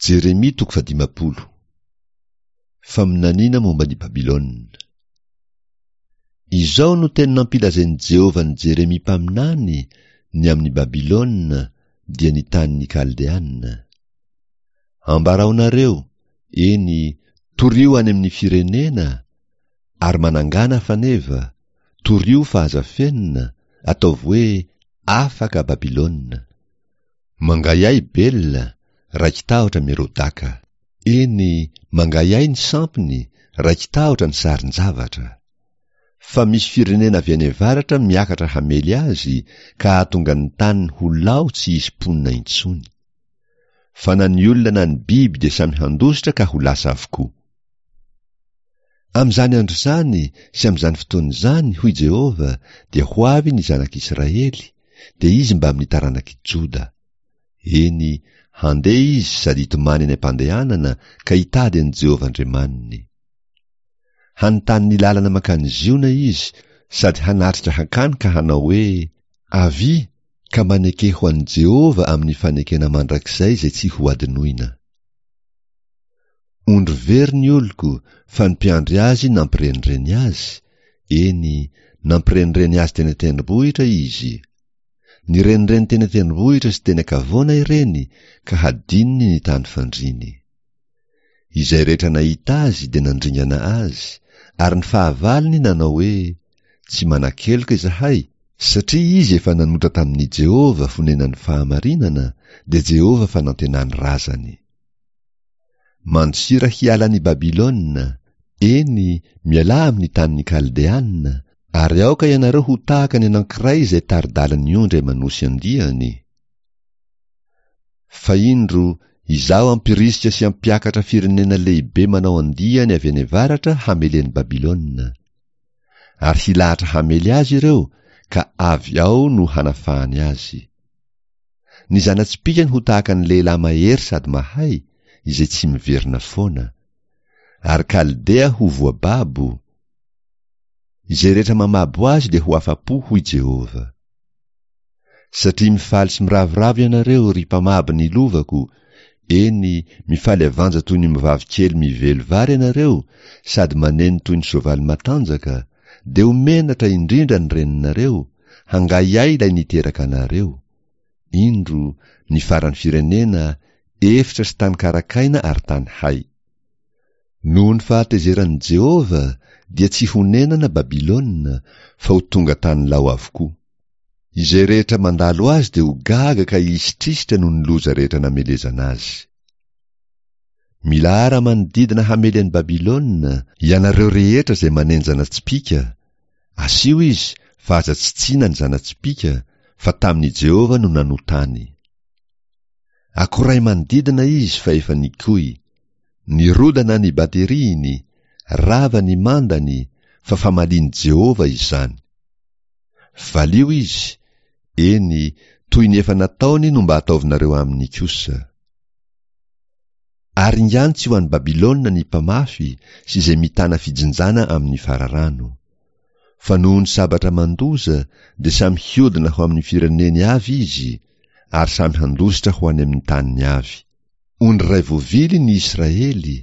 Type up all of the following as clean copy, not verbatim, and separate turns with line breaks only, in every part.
Jeremia toko fahadimampolo. Faminaniana momba an'i Babylona. Izao no teny nampilazain'i Jehovah an'i Jeremia mpaminany ny amin'i Babylona, dia ny tanin'ny Kaldeana. Ambaraonareo, eny, torio any amin'ny firenena, ary manangàna faneva, torio fa aza afenina, ataovy hoe, Afaka Babylona. Mangahiahy Bel, raiki-tahotra Merodaka. Eny, mangahiahy ny sampiny, raiki-tahotra ny sarin-javatra. Fa misy firenena avy any avaratra miakatra hamely azy ka hahatonga ny taniny ho lao tsy hisy mponina intsony. Fa na ny olona na ny biby dia samy handositra ka ho lasa avokoa. Amin'izany andro izany sy amin'izany fotoana izany, hoy Jehovah, dia ho avy ny zanak'Israely, dia izy mbamin'ny taranak'i Joda. Eny, handeha izy sady hitomany any am-pandehanana ka hitady an'i Jehovah Andriamaniny. Hanontany ny lalana mankany Ziona izy sady hanatrika hankany ka hanao hoe, Avia, ka maneke ho an'i Jehovah amin'ny fanekena mandrakizay izay tsy hohadinoina. Ondry very ny oloko fa ny mpiandry azy nampirenireny azy, eny, nampirenireny azy teny an-tendrombohitra izy. Nirenireny teny an-tendrombohitra sy teny an-kavoana ireny ka hadinony ny tany fandriany. Izay rehetra nahita azy dia nandringana azy, ary ny fahavalony nanao hoe, Tsy manan-keloka izahay, satria izy efa nanota tamin'i Jehovah fonenan'ny fahamarinana, dia Jehovah fanantenan'ny razany. Mandosira hiala an'i Babylona, eny, mialà amin'ny tanin'ny Kaldeana, ary aoka ianareo ho tahaka ny anankiray izay tari-dalan'ny ondry aman'osy andiany. Fa indro, Izaho hampirisika sy hampiakatra firenena lehibe manao andiany avy any avaratra hamely an'i Babylona. Ary hilahatra hamely azy ireo, ka avy ao no hanafahany azy. Ny zana-tsipìkany ho tahaka ny lehilahy mahery sady mahay, izay tsy miverina foana. Ary Kaldea ho voababo. Izay rehetra mamabo azy dia ho afa-po, hoy Jehovah. Satria mifaly sy miravoravo ianareo, ry mpamabo ny lovako, eny, mifaly avanja toy ny ombivavy kely mively vary ianareo, sady maneno toy ny soavaly matanjaka, dia ho menatra indrindra ny reninareo, hangahiahy ilay niteraka anareo. Indro, ny faran'ny firenena, efitra sy tany karakaina ary tany hay. Noho ny fahatezeran'i Jehovah, dia tsy honenana Babylona, fa ho tonga tany lao avokoa. Izay rehetra mandalo azy dia ho gaga ka hihisitrihitra noho ny loza rehetra namelezana azy. Milahara manodidina hamely an'i Babylona, ianareo rehetra izay manenjana tsipìka, asio izy fa aza tsitsiana ny zana-tsipìka, fa tamin'i Jehovah no nanotany. Akoray manodidina izy fa efa nikoy. Nirodana ny bateriany, rava ny mandany, fa famalian'i Jehovah izany. Valio izy, eny, toy ny efa nataony no mba ataovinareo aminy kosa. Aringano tsy ho any Babylona ny mpamafy sy izay mitana fijinjana amin'ny fararano. Fa noho ny sabatra mandoza dia samy hiodina ho amin'ny fireneny avy izy, ary samy handositra ho any amin'ny taniny avy. Ondry iray voavily ny Israely,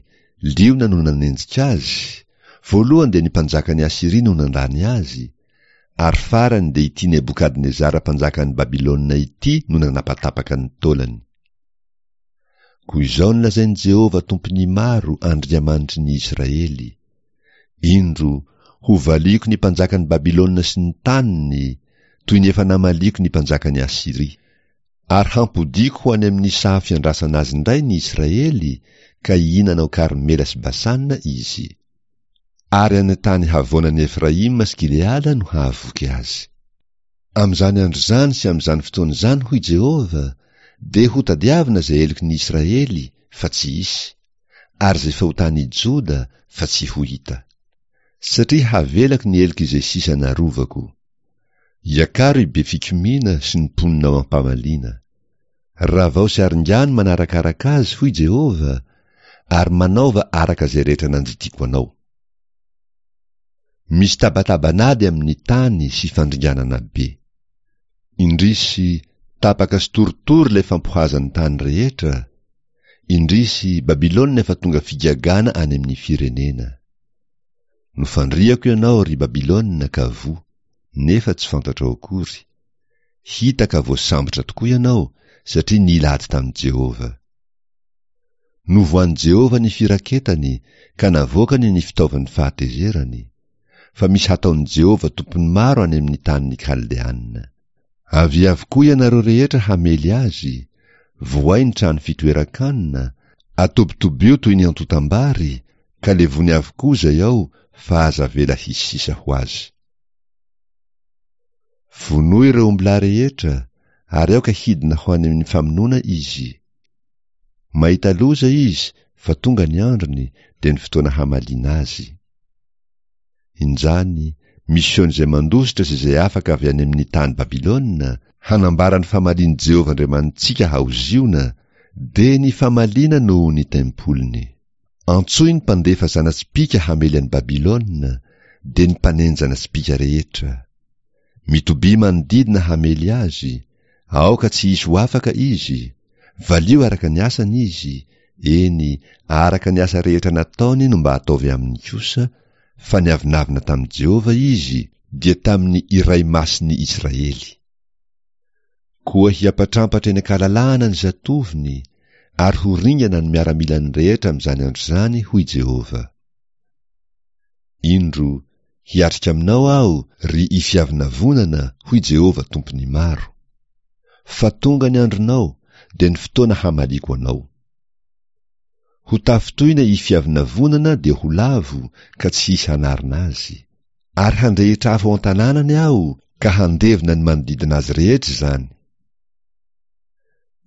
liona no nanenjika azy, voalohany dia ny mpanjakan'i Asyria no nandany azy, ary farany dia ity Nebokadnezara mpanjakan'i Babylona ity no nanapatapaka ny taolany. Koa izao no lazain'i Jehovah Tompon'ny maro, Andriamanitry ny Israely, Indro, hovaliako ny mpanjakan'i Babylona sy ny taniny, toy ny efa namaliako ny mpanjakan'i Asyria. Ary hampodiako ho any amin'ny saha fiandrasana azy indray ny Israely, ka hihinana ao Karmela sy Basana izy. Ary any an-tany havoanan'i Efraima sy Gileada no hahavoky azy. Amin'izany andro izany sy amin'izany fotoana izany, hoy Jehovah, dia hotadiavina izay heloky ny Israely, fa tsy hisy, ary izay fahotan'i Joda, fa tsy ho hita. Satria havelako ny heloky izay sisa narovako. Iakaro i Befikomiana sy ny mponina ao am-pamaliana. Ravao sy aringano manarakaraka azy, hoy Jehovah, ary manaova araka izay rehetra nandidiako anao. Misy tabataban'ady amin'ny tany sy fandringanana be. Indrisy, tapaka sy torotoro ilay fampohazan'ny tany rehetra. Indrisy, Babylona efa tonga figagana any amin'ny firenena. Nofandrihako ianao, ry Babylona, ka voa, nefa tsy fantatrao akory. Hita ka voasambotra tokoa ianao, satria nila ady tamin'i Jehovah. Novohan'i Jehovah ny firaketany, ka navoakany ny fitaovan'ny fahatezerany. Fa misy hataon'i Jehovah Tompon'ny maro any amin'ny tanin'ny Kaldeana. Avia avokoa ianareo rehetra hamely azy, vohay ny trano fitoeran-kanina, atobitobio toy ny antontam-bary, ka levony avokoa izay ao fa aza avela hisy sisa ho azy. Vonoy ireo ombilahy rehetra, ary aoka hidina ho any amin'ny famonoana izy. Mahita loza izy fa tonga ny androny, dia ny fotoana hamaliana azy. Injany, misy izay mandositra sy izay afaka avy any amin'ny tany Babylona, hanambara ny famalian'i Jehovah Andriamanitsika ao Ziona, dia ny famaliana noho ny tempoliny. Antsoy ny mpandefa zana-tsipìka hamely an'i Babylona, dia ny mpanenjana tsipìka rehetra. Mitobia manodidina hamely azy, aoka tsy hisy ho afaka izy, valio araka ny asany izy, eny, araka ny asa rehetra nataony no mba ataovy aminy kosa, fa niavonavona tamin'i Jehovah izy, dia tamin'ny Iray Masin'ny Israely. Koa hiampatrampatra eny an-kalalahana ny zatovony, ary ho ringana ny miaramilany rehetra amin'izany andro izany, hoy Jehovah. Indro, hiatrika aminao Aho, ry Ifiavonavonana, hoy Jehovah Tompon'ny maro. Fa tonga ny andronao, dia ny fotoana hamaliako anao. Ho tafintohina Ifiavonavonana dia ho lavo, ka tsy hisy hanarina azy. Ary handrehitra afo ao an-tanànany Aho, ka handevona ny manodidina azy rehetra izany.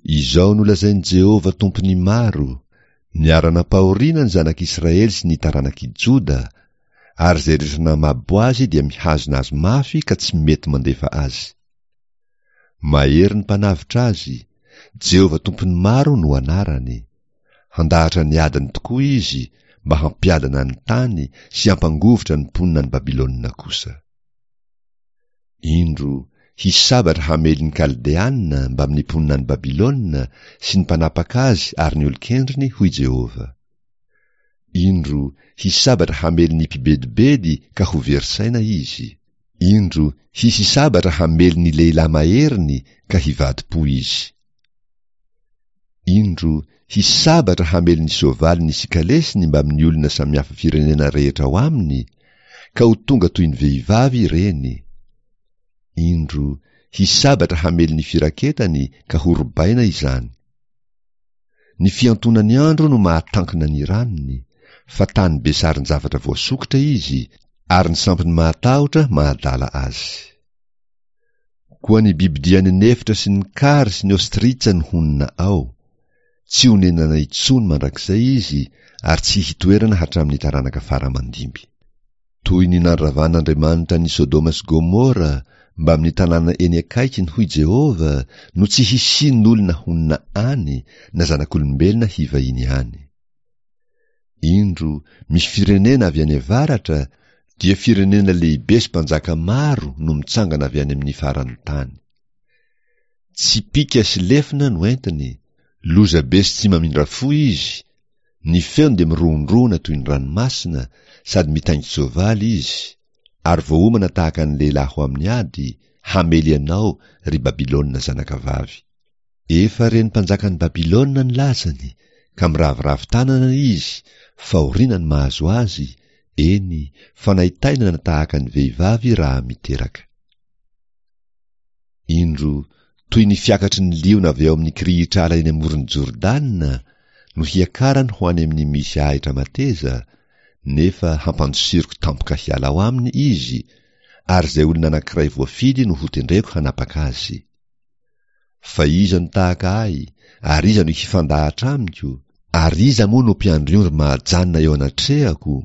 Izao no lazain'i Jehovah Tompon'ny maro, Niara-nampahoriana ny zanak'Israely sy ny taranak'i Joda, ary izay rehetra namabo azy dia mihazona azy mafy ka tsy mety mandefa azy. Mahery ny Mpanavotra azy, Jehovah Tompon'ny maro no anarany. Handahatra ny adiny tokoa izy mba hampiadana ny tany sy hampangovitra ny mponina any Babylona kosa. Indro, hisy sabatra hamely ny Kaldeana mbamin'ny mponina any Babylona sy ny mpanapaka azy ary ny olon-kendriny, hoy Jehovah. Indro, hisy sabatra hamely ny mpibedibedy ka ho very saina izy. Indro, hisy sabatra hamely ny lehilahy maheriny ka hivadi-po izy. Indro, hisy sabatra hamely ny soavaliny sy kalesiny mbamin'ny olona samihafa firenena rehetra ao aminy, ka ho tonga toy ny vehivavy ireny. Indro, hisy sabatra hamely ny firaketany ka horobaina izany. Ny fiantonan'ny andro no mahatankina ny ranony, fa tany be sarin-javatra voasokitra izy, ary ny sampiny mahatahotra mahadala azy. Koa ny bibidia any an'efitra sy ny kary sy ny ostritsa no honina ao. Tsy honenana intsony mandrakizay izy ary tsy hitoerana hatramin'ny taranaka fara aman-dimby. Toy ny nandravan'Andriamanitra an'i Sodoma sy Gomora mbamin'ny tanàna eny akaikiny, hoy Jehovah, no tsy hisian'olona honina any na zanak'olombelona hivahiny any. Indro, misy firenena avy any avaratra, dia firenena lehibe sy mpanjaka maro no mitsangana avy any amin'ny faran'ny tany. Tsipìka sy lefona no entiny, lozabe sy tsy mamindra fo izy, ny feony dia mirohondrohona toy ny ranomasina, sady mitaingin-tsoavaly izy, ary voaomana tahaka ny lehilahy ho amin'ny ady, hamely anao, ry Babylona zanakavavy. Efa ren'ny mpanjakan'i Babylona ny lazany, ka miraviravy tanana izy, fahoriana no mahazo azy, eny, fanaintainana tahaka ny vehivavy raha miteraka. Indro, toy ny fiakatry ny liona avy ao amin'ny kirihitr'ala eny amoron'i Jordana no hiakarany ho any amin'ny misy ahitra mateza, nefa hampandosiriko tampoka hiala ao aminy izy, ary izay olona anankiray voafidy no hotendreko hanapaka azy. Fa iza no tahaka ahy, ary iza no hifandahatra amiko? Ary iza moa no mpiandry ondry mahajanona eo anatrehako?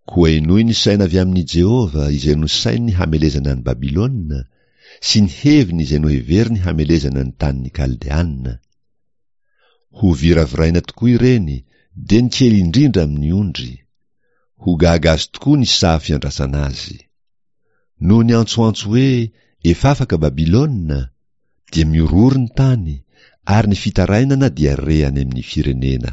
Koa henoy ny saina avy amin'i Jehovah izay nosaininy hamelezana an'i Babylona, sy ny heviny izay noheveriny hamelezana ny tanin'ny Kaldeana. Hoviraviraina tokoa ireny, dia ny kely indrindra amin'ny ondry. Ho gaga azy tokoa ny saha fiandrasana azy. Noho ny antsoantso hoe efa afaka Babylona, dia mihorohoro ny tany, ary ny fitarainana dia re any amin'ny firenena.